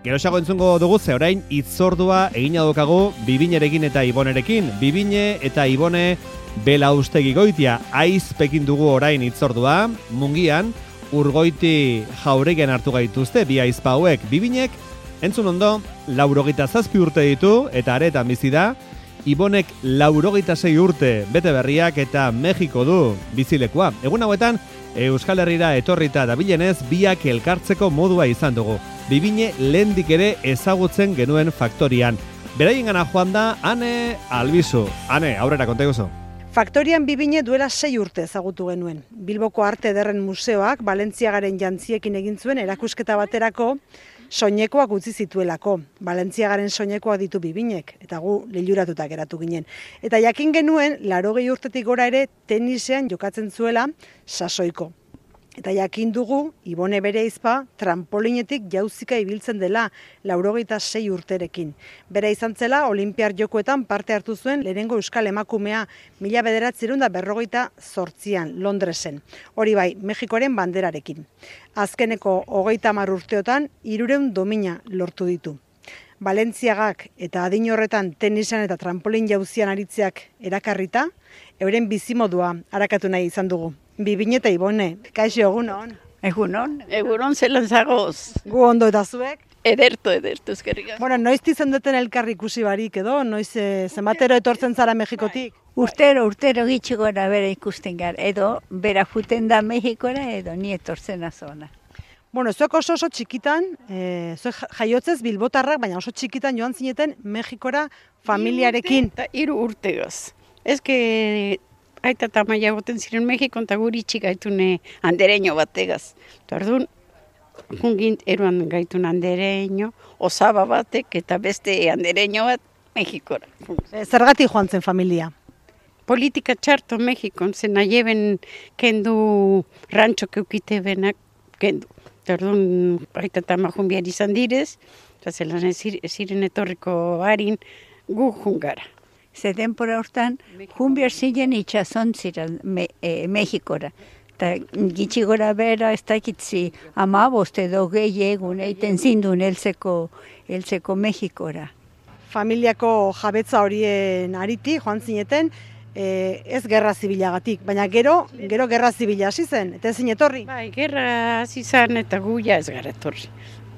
Geroxago entzungo dugu ze orain hitzordua egina daukagu Bibinerekin eta Ibonerekin. Bibine eta Ibone Belaustegi Goitia aizpekin dugu orain hitzordua. Mungian Urgoiti Jauregian hartu gaituzte bi aizpa hauek. Bibinek entzun ondo 87 urte ditu eta aretan bizi da. Ibonek 86 urte bete berriak eta Mexiko du bizilekua. Egun hauetan Euskal Herrira etorrita dabilenez biak elkartzeko modua izan dugu. Bibine lehendik ere ezagutzen genuen faktorian. Beraiengana joan da Ane Albizu. Ane, aurrera konta iguzu. Faktorian Bibine duela 6 urte ezagutu genuen. Bilboko Arte Ederren Museoak Balentziagaren jantziekin egin zuen erakusketa baterako soinekoak utzi zituelako. Balentziagaren soinekoak ditu Bibinek, eta gu liluratuta geratu ginen. Eta jakin genuen, 80 urtetik gora ere tenisean jokatzen zuela sasoiko. Eta jakin dugu, Ibone bere aizpa, trampolinetik jauzika ibiltzen dela 86 urterekin. Bera izan zela, Olinpiar Jokoetan parte hartu zuen lehenengo euskal emakumea 1948an Londresen. Hori bai, Mexikoren banderarekin. Azkeneko 30 urteotan 300 domina lortu ditu. Balentziagak eta adin horretan tenisan eta trampolin jauzian aritzeak erakarrita, euren bizimodua harakatu nahi izan dugu. Bibine eta Ibone, kaixo egunon. Egunon zelan zagoz. Gu ondo eta zuek? Ederto, eskerrik asko. Bueno, noiz izan duten elkarri ikusi barik edo, noiz zenbatero etortzen zara Mexikotik? Urtero gitxi gora bera ikusten gara, edo bera juten da Mexikora edo ni etortzen azona. Bueno, zuek oso txikitan, zuek jaiotzez bilbotarrak, baina oso txikitan joan zineten Mexikora familiarekin. 3 urtegoz. Ez que aita eta maia goten ziren Mexikon eta guri txik gaitune andereño bategaz. Tardun, jungint eruan gaitun andereño, osaba batek eta beste andereño bat Mexikora. Zergatik joan zen familia? Politika txarto Mexikon, zen aieben kendu rancho keukite benak kendu. Tardun, aita eta majun behar izan direz, eta zelan ziren etorriko harin gu jungara. Ze denpora hortan, junbiar ziren itxazon ziren Mexikora. Eta gitxi gora bera ez dakitzi 15 edo gehi egun eiten zindun heltzeko Mexikora. Familiako jabetza horien ariti joan zineten, ez gerra zibilagatik, baina gero gerra zibila hasi zen, eta ezin etorri. Bai, gerra hasi zen eta gu ja ez gara etorri.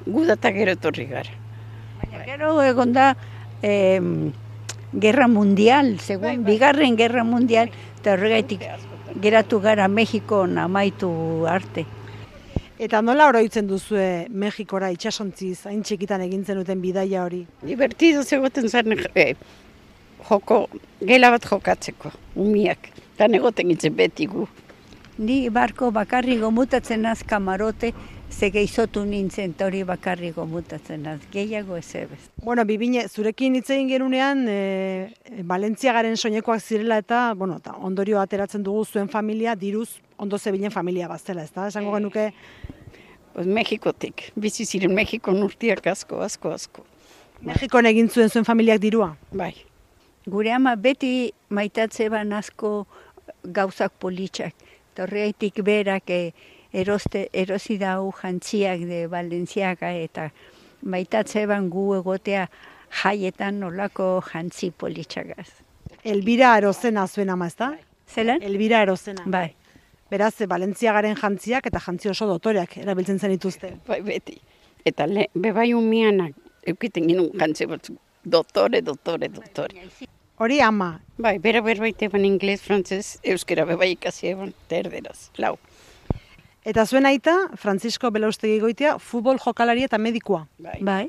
Gu data gero etorri gara. Baina gero egon da Gerra Mundial, segun bigarren Gerra Mundial, eta horregaitik geratu gara Mexikon amaitu arte. Eta nola oroitzen duzue Mexikora itxasontziz, hain txikitan egintzen duten bidaia hori? Divertido zegoten zen gela bat jokatzeko, umiak, eta negoten itzen beti gu. Ni barko bakarri gomutatzen az kamarote, ze gehizotu nintzen eta hori bakarri gomutatzen az, gehiago ez ebez. Bueno, Bibine, zurekin hitz egin genunean, Balentziagaren soinekoak zirela eta, bueno, eta ondorio ateratzen dugu zuen familia, diruz ondo zebilen familia baztela, ez da? Esango genuke? Pues Mexikotik, bizi ziren Mexikon urtiak asko. Mexikon egin zuen familiak dirua? Bai. Gure ama beti maitatze ban asko gauzak politxak. Horregatik berak erosi dau jantziak de Balentziaga eta maitatze ban gu egotea jaietan nolako jantzi politxagaz. Elbira Arozena zuen ama, ez da? Zelan? Elbira Arozena. Bai. Beraz, Balentziagaren jantziak eta jantzi oso dotoreak erabiltzen zen dituzte. Bai, beti. Eta bebai umianak eukiten ginen jantzi batzuk. Dotore. Hori ama. Bai, berbait eban inglés, frantzez, euskera bebai ikasi eban, terderaz, lau. Eta zuen aita, Francisco Belaustegi Goitia, futbol jokalari eta medikua. Bai,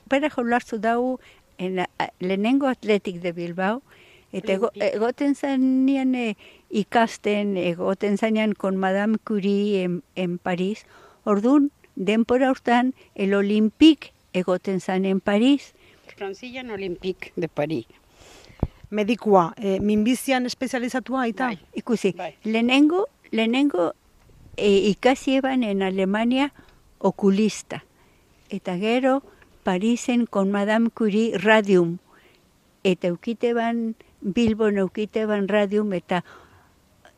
bere jolartu dau lehenengo Atletik de Bilbao, eta egoten zanean ikasten, egoten zanean con Madame Curie en Paris, orduan, denpora hortan, el Olympique egoten zan en Paris. Francillan Olympique de Paris. Medikua, minbizian espezializatua aita? Bai. Ikusi, Bai. lehenengo ikasi eban en Alemania okulista. Eta gero, Parisen con Madame Curie radium. Eta Bilbon eukiteban radium, eta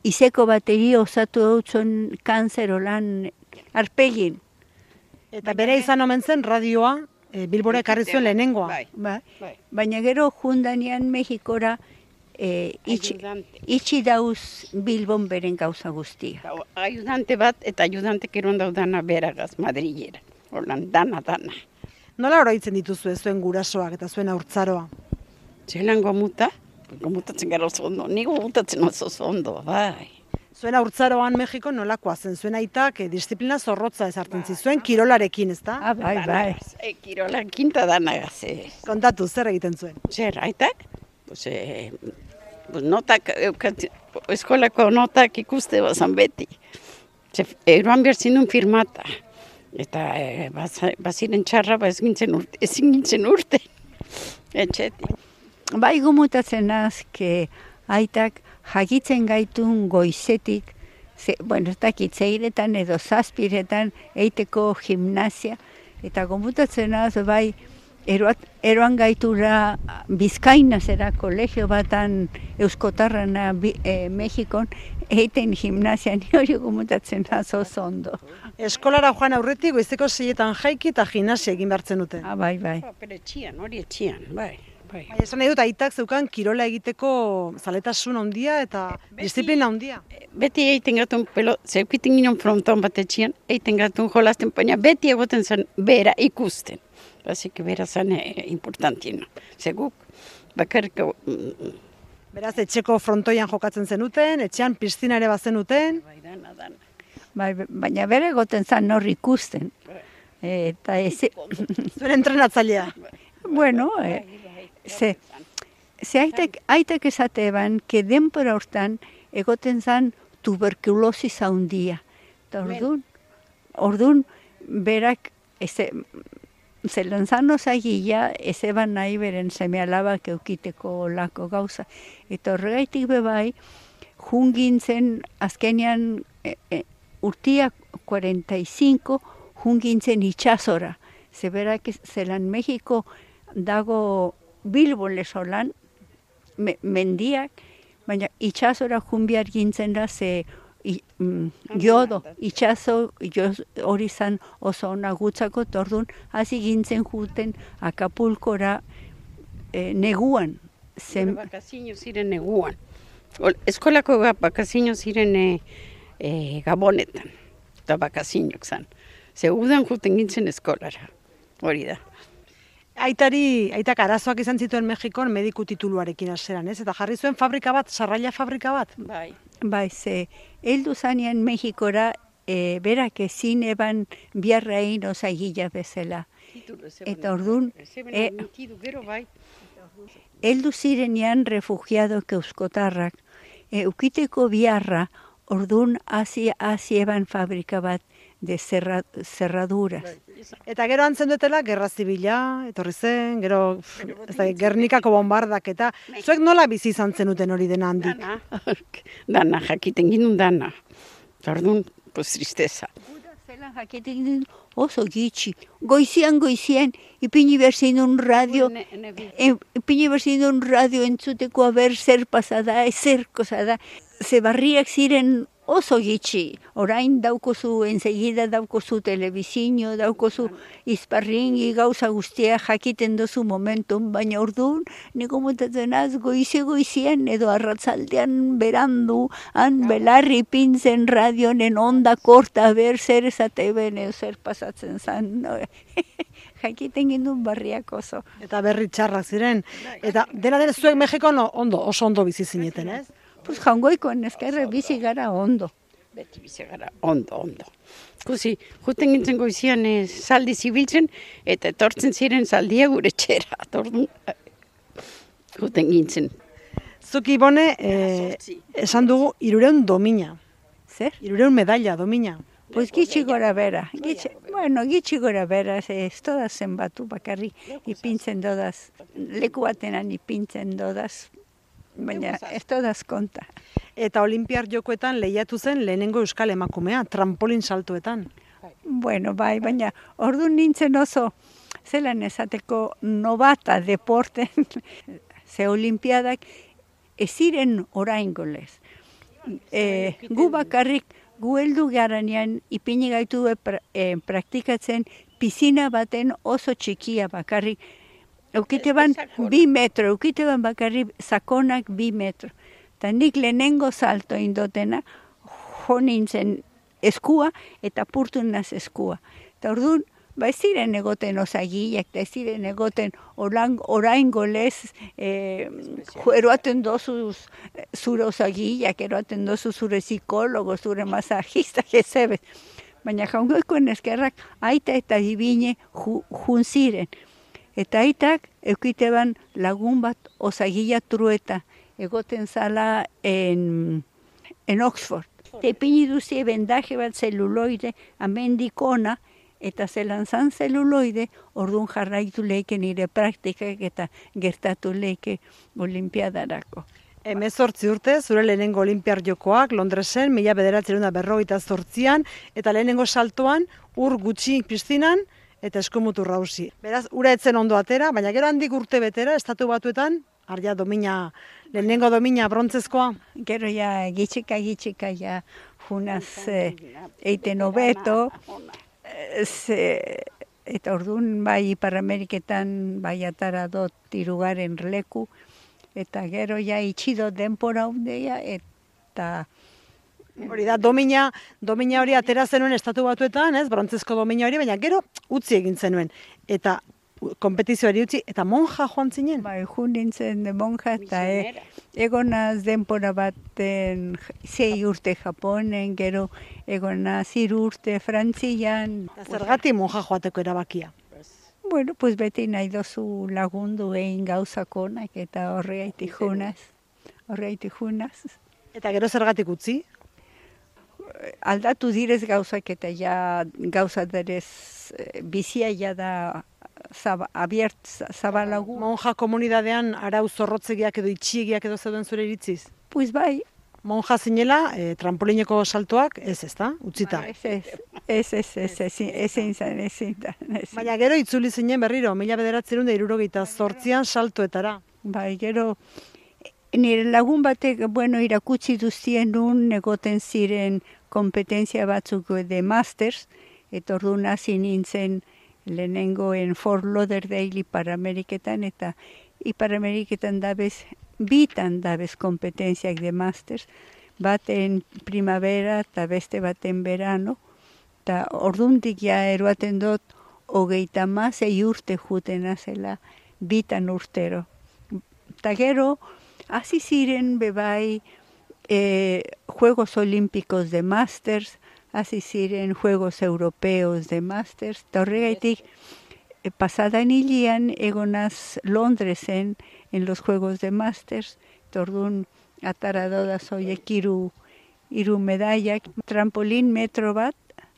izeko bateri osatu dutzen kanzer olan arpegin. Eta bere izan omen zen radioa, Bilbora ekarri zuen lehenengoa. Bai. Baina gero jundanean Mexikora itxi dauz Bilbon beren gauza guztia. Ayudante bat eta ayudante keron daudana beragaz Madrilera. Holan, dana. Nola oroitzen dituzu zuen gurasoak eta zuen haurtzaroa? Zelan gomutatzen gara oso ondo, ni gomutatzen oso ondo, bai. Zuen haurtzaroan Mexiko nolakoa zen? Zuen aitak disiplina zorrotza ezartzen zizuen kirolarekin, ezta? Bai. Kirolarekin eta danagaz. Kontatu, zer egiten zuen? Zer, aitak? Pues notak, eskolako notak ikuste bazan beti. Eroan behar zinun firmata. Eta baziren txarra, ezin gintzen urte. Etxetik. Bai gomutatzen azke aitak jakitzen gaitun goizetik, ez dakit zeiretan edo zazpiretan eiteko gimnasia, eta gomutatzen az bai eroan gaitura Bizkainazera kolegio batan euskotarrana Mexikon, eiten gimnasia, ni hori gomutatzen az oso ondo. Eskolara joan aurretik goizeko 6etan jaiki eta gimnasia egin behartzen duten. Bai. Pero hori etxian, bai. Baina esan nahi dut, aitak zeukan kirola egiteko zaletasun handia eta disiplina handia. Beti eiten gatun zeukiten ginen fronton bat etxian, eiten gatun jolasten, baina beti egoten zen bera ikusten. Basik bera zen importantien. Zeguk, bakarrik... Beraz, etxeko frontoian jokatzen zenuten, etxean piztina ere bazenuten. Bai, dana. Baina bere egoten zen hor ikusten. Eta Zuen entrenatzailea. Bueno, ze aitak esate eban, que denpora hortan egoten zan tuberkulosis handia. Eta orduan, berak, zelan zan osagila, ez eban nahi beren seme alabak eukiteko lako gauza. Eta horregaitik bebai, jungintzen azkenean urtia 45 jungintzen itxasora. Zeberak zelan Mexiko dago Bilbo lesolan, mendiak, baina itxasora junbiar gintzen da ze jodo, itxaso hori zan oso nagutzako, tordun hasi gintzen juten Acapulcora neguan. Bakazino ziren neguan. Eskolako bakazino ziren Gabonetan, eta bakazinok zan. Ze udan juten gintzen eskolara, hori da. Aitak arazoak izan zituen Mexikon mediku tituluarekin hasieran, ez? Eta jarri zuen fabrika bat, sarraila fabrika bat. Bai, ze heldu zanean Mexikora berak ezin eban biarra egin osagila bezala. Eta orduan, heldu zirenean refugiadok euskotarrak, ukiteko biarra, orduan hasi eban fabrika bat de cerraduras. Eta gero antzen dutela, gerra zibila, etorri zen, gero Gernikako bombardak eta zuek nola bizi izan zenuten hori dena handik? Dana, jakiten ginen dana. Orduan, pues tristeza. Zelan jakiten ginen oso gitxi. Goizian, ipini berzin un radio, entzuteko haber zer pasada, zer kosada. Ze barriak ziren oso gitxi. Orain daukozu, ensegida daukozu telebizio, daukozu izparringi gauza guztia jakiten dozu momentum, baina orduan, niko mutatzen az, goizian edo arratzaldean berandu, han belarri pintzen radionen onda korta, ber zer esate bene, zer pasatzen zan. Jakiten gindun barriak oso. Eta berri txarrak ziren. Eta dela zuek Mexikon oso ondo bizi zineten, ez? Pues jangoikoen ezkerre bizi gara ondo. Beti bizi gara ondo. Kusi, juten gintzen goizian zaldi zibiltzen, eta etortzen ziren zaldia gure txera. Juten gintzen. Zuk Ibone, esan dugu 300 domina. Zer? 300 medalla domina. Pues gitxi gora bera. Gitxi gora bera, ez todaz zenbatu bakarri, ipintzen dodaz. Leku batenan ipintzen dodaz. Baina ez todaz konta. Eta Olimpiar Jokoetan lehiatu zen lehenengo euskal emakumea, trampolin saltoetan. Bueno, bai, baina orduan nintzen oso, zelan esateko novata deporten, ze olimpiadak ez ziren oraingo lez. Gu bakarrik, gu heldu garanean ipini gaitu praktikatzen pizina baten oso txikia bakarrik. Eukiteban 2 metro, eukiteban bakarrik sakonak 2 metro. Eta nik lehenengo salto indotena, jo nintzen eskua eta purtu naz eskua. Eta orduan, ez ziren egoten osagiak, ez ziren egoten orain golez eroaten dozu zure osagiak, eroaten dozu zure psikologo, zure masajistak ezebet. Baina jaungoikoen eskerrak aita eta bibine jun ziren. Eta aitak eukiteban lagun bat osagia trueta, egoten zala en Oxford. Tepini duzie bendaje bat zeluloide, amendikona, eta zelan zan zeluloide, orduan jarraitu leike nire praktikak eta gertatu leike olimpiadarako. 18 urte, zure lehenengo olimpiar jokoak Londresen, 1958an, eta lehenengo saltoan, ur gutxi piztinan, eta eskumutur rauzi. Beraz, ura etzen ondo atera, baina gero handik urte betera, Estatu Batuetan, arja domina, lehenengo domina brontzezkoa. Gero ja, gitxika ja, junaz eiten hobeto, eta orduan bai Ipar Ameriketan bai atara dot 3. leku, eta gero ja itxido denpora hundeia, eta hori da, domina hori atera zenuen Estatu Batuetan, ez, brontzezko domina hori, baina gero utzi egin zenuen. Eta kompetizioari utzi, eta monja joan zinen? Bai, joan nintzen monja, eta egonaz denpora baten 6 urte Japonen, gero egonaz 3 urte Frantzian. Zergatik monja joateko erabakia? Bueno, pues beti nahi dozu lagundu egin gauzakonak, eta horregatik junaz. Eta gero zergatik utzi? Aldatu direz gauzak eta ja gauza derez bizia ja da zabalagu. Monja komunidadean arau zorrotzegiak edo itxiegiak edo zeuden zure iritziz? Pues bai. Monja zinela, trampolineko saltoak ez da, utzita? Ezin zan. Baina gero itzuli zinen berriro, 1978an saltoetara. Bai, gero nire lagun batek, irakutsi duzien nun egoten ziren kompetentzia batzuk de masters, eta orduan hasi nintzen lehenengoen Fort Lauderdale Ipar Ameriketan, eta Ipar Ameriketan bitan dabez kompetentziak de masters, baten primavera eta beste baten verano, eta orduntik ja eroaten dut 36 urte jutena zela bitan urtero. Eta gero, hasi ziren bebai Juegos Olímpicos de Masters, hasi ziren Juegos Europeos de Masters, eta horregaitik pasadan hilian egonaz Londresen en los Juegos de Masters, eta orduan atara doda zoiek hiru medaiak, trampolin metro bat,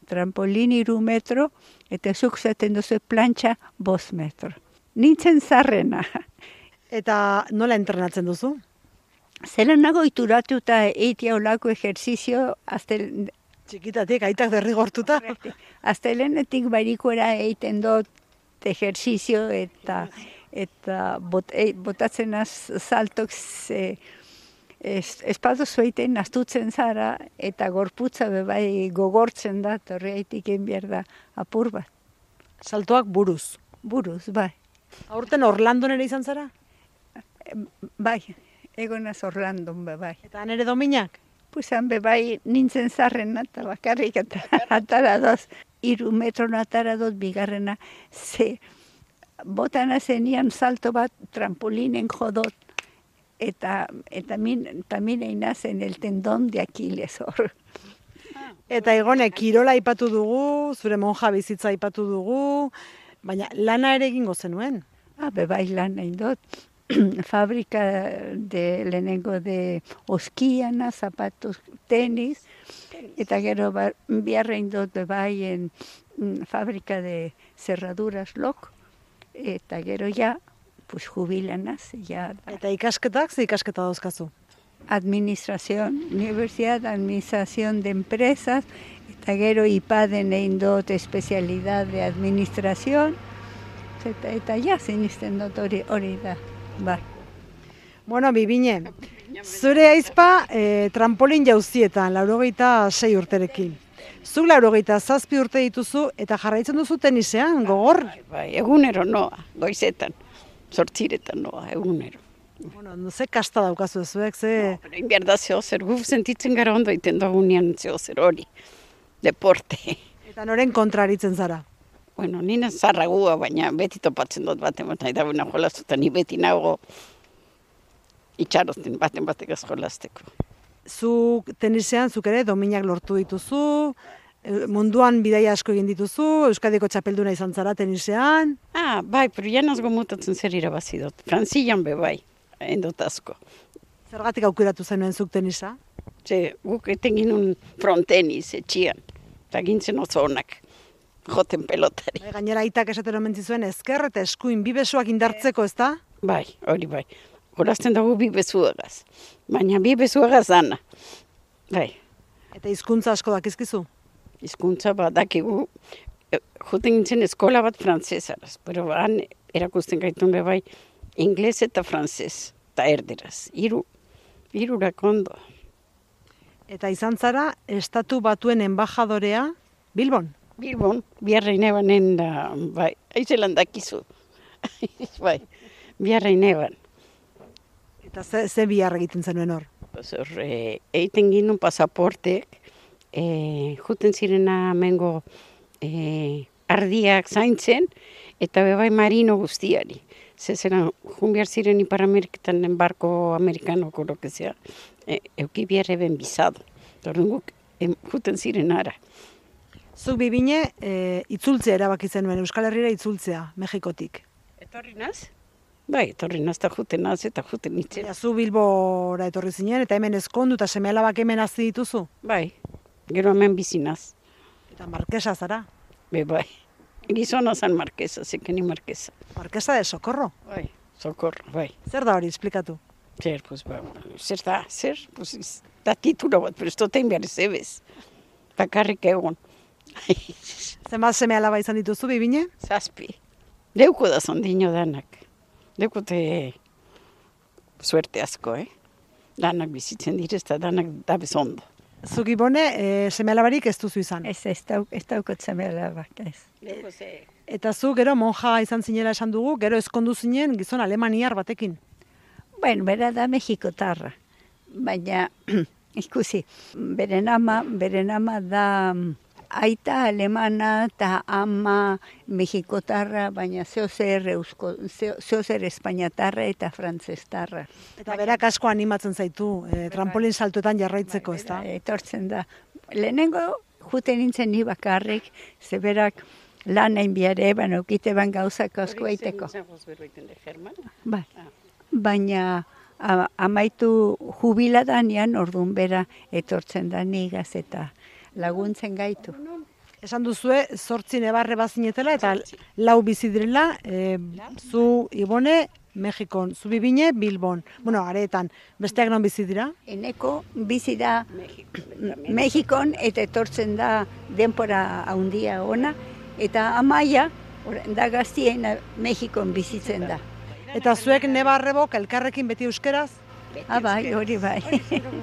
trampolin 3 metro, eta zuk zaten duzu plantxa 5 metro. Nintzen zarrena. Eta nola entrenatzen duzu? Zelan nago ituratuta eitia olako ejerzizio, txikitatik, aitak derrigortuta. Astelenetik barikuera eiten dut ejerzizio eta botatzen saltok espadu zueiten astutzen zara eta gorputza bebai gogortzen da, horreitik behar da apur bat. Saltoak buruz? Buruz, bai. Aurten Orlandon ere izan zara? Bai, egonaz Orlandon bai. Eta han ere dominak? Pues han bebai nintzen zarrena eta bakarrik eta atara doz, 3 metro atara doz bigarrena, botana zenian salto bat trampolinen jodot, eta min einazen el tendon de Aquiles hor. Eta Igone, kirola aipatu dugu, zure monja bizitza aipatu dugu, baina lana ere egingo zenuen? Bebai lana indot. Fábrica de lehenengo de oskiana, zapatos, tenis, eta gero biarra indot bebai en fábrica de cerraduras lok, eta gero ja, pues jubilanaz. Eta ikasketak, ze ikasketa dauzkazu? Administración, Universidad de Administración de Empresas, eta gero IPADen egin dut especialidad de administración, eta ja zinisten dut hori da. Bai. Bueno, Bibine, zure aizpa trampolin jauzietan, 86 urterekin. Zuk 87 urte dituzu eta jarraitzen duzu tenisean, gogor. Bai, egunero noa, goizetan, 8 noa, egunero. Bueno, ze kasta daukazu zuek, ze... Pero inbiar da zehozer, guf sentitzen gara ondo iten dugunean zehozer hori, deporte. Eta noren kontraritzen zara. Bueno, nina zarragua, baina beti topatzen dut baten nahi da buena jolastuta, ni beti nago itxarosten bategaz jolasteko. Zu tenisean, zuk ere, dominak lortu dituzu, munduan bidaia asko egin dituzu, Euskadiko txapelduna izan zara tenisean. Bai, pero ja nazgo mutatzen zer irabazi dut. Frantzian be bai, endot asko. Zergatik aukeratu zenuen zuk tenisa? Ze, guk eten ginun fronteniz, etxian, eta gintzen oso onak, joten pelotari. Gainera aitak esaten omen zizuen ezker eta eskuin bi besoak indartzeko, ezta? Bai, hori bai. Horazten dugu bi bezuagaz, baina bi bezuagaz dana. Bai. Eta hizkuntza asko dakizkizu? Hizkuntza bat dakigu, joten gintzen eskola bat frantzesaraz, pero han erakusten gaitun be bai, ingles eta frantzez, eta erderaz, hirurak ondo. Eta izan zara, Estatu Batuen enbajadorea Bilbon? Bilbon, biharrein ebanen da, bai, aizelan dakizu. Bai, biharrein eban. Eta ze bihar egiten zenuen hor? Eiten ginun pasaportek, juten zirena mengo ardiak zaintzen, eta bebai marino guztiari. Zeran, jun behar ziren Ipar Ameriketan barko amerikanoko lokezea, euki biharre ben bizado. Tordun guk, juten ziren ara. Zuk bibine, itzultzea erabaki zenuen, Euskal Herrira itzultzea, Mexikotik. Etorri naz? Bai, etorri naz eta juten naz eta juten nintzen. Ja, zu Bilbora etorri zinen, eta hemen ezkondu eta seme-alabak hemen hazi dituzu? Bai, gero hemen bizi naz. Eta markesa zara? Bai, gizona zan markesa, zekeni markesa. Markesa de Socorro? Bai, Socorro, bai. Zer da hori, esplikatu? Zer, pues, zer da, pues, da titula bat, pero ez dotein behar zebez. Bakarrik egon. Zenbat seme-alaba izan dituzu, bibine? 7. Deuko da zondino danak. Deukote suerte asko, Danak bizitzen direz eta danak da bezondo. Zuk Ibone, seme-alabarik ez duzu izan? Ez daukot seme-alabak, ez. Eta zu gero monja izan zinela esan dugu, gero ezkondu zinen gizon alemaniar batekin. Bueno, bera da Mexikotarra, baina ikusi, beren ama da aita alemana eta ama Mexikotarra, baina zeozer espainatarra eta frantzestarra. Eta berak asko animatzen zaitu, trampolin saltoetan jarraitzeko, ez da? Etortzen da. Lehenengo juten nintzen ni bakarrik, zeberak lan hain biare, baina ukite ban gauzak asko aiteko. Bai. Baina amaitu jubiladanean orduan bera etortzen da nigaz eta laguntzen gaitu. Esan duzue, 8 nebarre bazinetela eta 4 bizi direla, zu Ibone, Mexikon, zu bibine, Bilbon. Bueno, areetan, besteak non bizi dira? Eneko bizi da Mexikon eta etortzen da denpora handia ona, eta amaia, da gaztiena Mexikon bizitzen da. Eta zuek nebarrebok elkarrekin beti euskeraz? Bai, hori bai.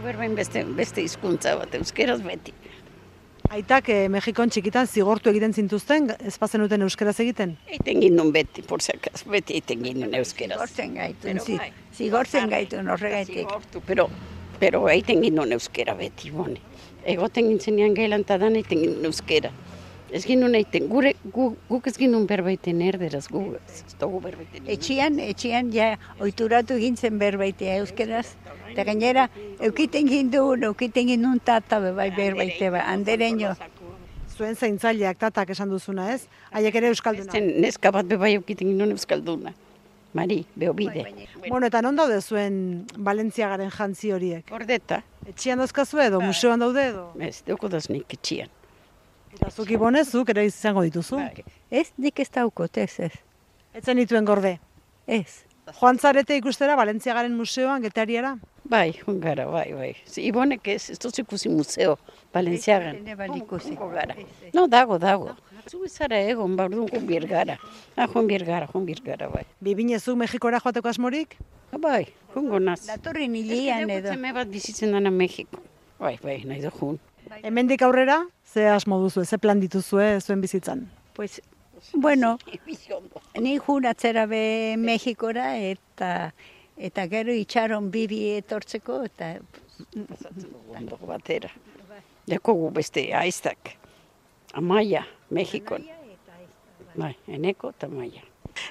Berbain beste hizkuntza bat, euskeraz beti. Aitak Mexikon txikitan zigortu egiten zintuzten, ez bazenuten euskeraz egiten? Eiten gindun beti, por si akaz, beti eiten gindun euskeraz. Zigortzen gaitun horregaitik. Pero eiten gindun euskera beti, bone. Egoten gintzenean gailan eta dan eiten gindun euskera. Ez gindun eiten, guk ez gindun berbaiten erderaz, guk ez dugu berbaiten. Etxian ja oituratu gintzen berbaitea euskeraz. Eta gainera, eukiten gindun tata bai berbaite, andereño. Zuen zaintzaileak tatak esan duzuna, ez? Haiek ere euskalduna. Neska bat bebai eukiten gindun euskalduna. Mari, beobide. Bueno, eta non daude zuen Balentziagaren jantzi horiek? Ordeta. Etxian dauzkazu edo, museoan daude edo? Ez, deuko daznik etxian. Eta zuk Ibone, zuk ere izango dituzu? Ez, nik ez daukot, ez. Etzen dituen gorde? Ez. Joan zarete ikustera Balentziagaren museoan, Getariara? Bai, jungara, bai. Ibonek ez dut ikusi museo, Balentziagan. Gara. No, dago. Zu izara egon, bardun junbier gara. Junbier gara, bai. Bibine zu Mexikora joateko asmorik? Bai, jungo naz. Datorren hilian edo. Zeme bat bizitzen dana Mexiko. Bai, nahi du jun. Hemendik aurrera, ze asmo duzu, ze plan dituzue zuen bizitzan? Pues, bueno, ni jun atzera be Mexikora eta gero itxaron bibi etortzeko eta Ondo batera. Jakogu beste aiztak. Amaia, Mexikon. Bai, eneko eta Amaia.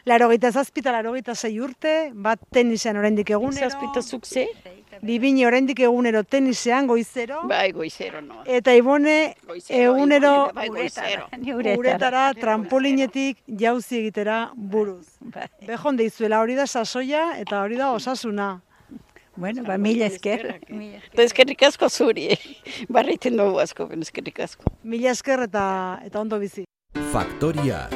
87 eta 86 urte, bat tenisean oraindik egunero. Zazpitazuk ze? Bibine oraindik egunero tenisean, goizero. Bai, goizero no. Eta Ibone egunero Bai, goizero. uretara, trampolinetik jauzi egitera buruz. Bai. Bejon deizuela, hori da sasoia eta hori da osasuna. Bueno, mila esker. Eta eskerrik asko zuri. Barreiten dugu asko, eskerrik asko. Mila esker eta ondo bizi. Faktoria.